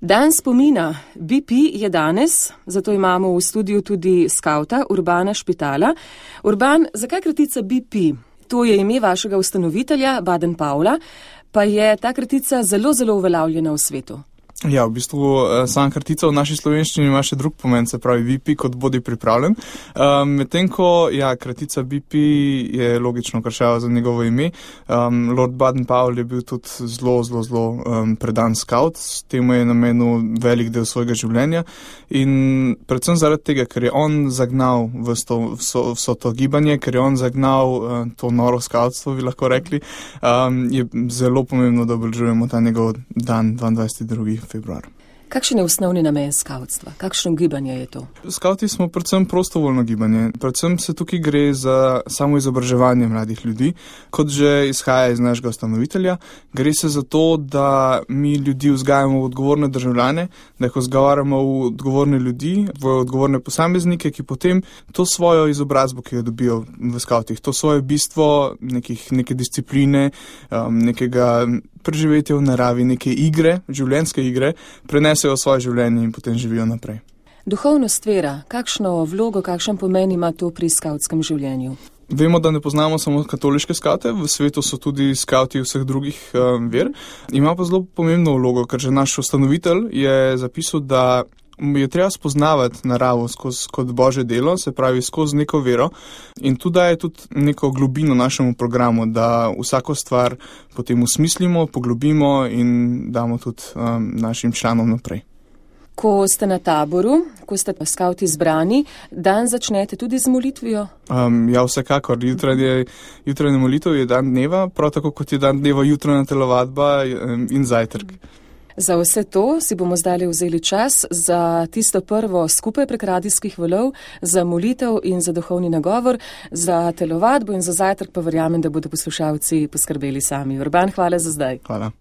Dan spomina BP je danes, zato imamo v studiu tudi skavta Urbana Špitala. Urban, zakaj kratica BP? To je ime vašega ustanovitelja, Baden-Powella, pa je ta kratica zelo, zelo uveljavljena v svetu. Ja, v bistvu sama kratica v naši slovenščini ima še drug pomen, se pravi BP, kot bodi pripravljen. Medtem ko, kratica BP je logično kršava za njegovo ime. Lord Baden-Powell je bil tudi zelo predan skavt, s tem je namenil velik del svojega življenja in predvsem zaradi tega, ker je on zagnal vso to gibanje, ker je on zagnal to noro skavtstvo, bi lahko rekli, je zelo pomembno, da obeležujemo ta njegov dan 22. februar. Kakšen je osnovni namen skavtstva? Kakšno gibanje je to? Skavti smo predvsem prostovoljno gibanje. Predvsem se tukaj gre za samo izobraževanje mladih ljudi. Kot že izhaja iz našega ustanovitelja, gre se za to, da mi ljudi vzgajamo v odgovorne državljane, da jih vzgajamo v odgovorne ljudi, v odgovorne posameznike, ki potem to svojo izobrazbo, ki jo dobijo v skavtih, to svoje bistvo neke discipline, nekega preživetja v naravi, neke igre, življenjske igre, prenesejo v svoje življenje in potem živijo naprej. Duhovnost vera, kakšno vlogo, kakšen pomen ima to pri skavtskem življenju? Vemo, da ne poznamo samo katoliške skavte, v svetu so tudi skavti vseh drugih ver. Ima pa zelo pomembno vlogo, ker že naš ustanovitelj je zapisal, da je treba spoznavati naravo kot Božje delo, se pravi skozi neko vero in tu daje tudi neko globino našemu programu, da vsako stvar potem usmislimo, poglobimo in damo tudi našim članom naprej. Ko ste na taboru, ko ste skavti zbrani, dan začnete tudi z molitvijo? Ja, vsekakor. Jutranja molitev je dan dneva, prav tako kot je dan dneva jutranja telovadba in zajtrk. Za vse to si bomo zdaj vzeli čas za tisto prvo skupaj prek radijskih valov, za molitev in za duhovni nagovor, za telovadbo in za zajtrk pa verjamem, da bodo poslušalci poskrbeli sami. Urban, hvala za zdaj. Hvala.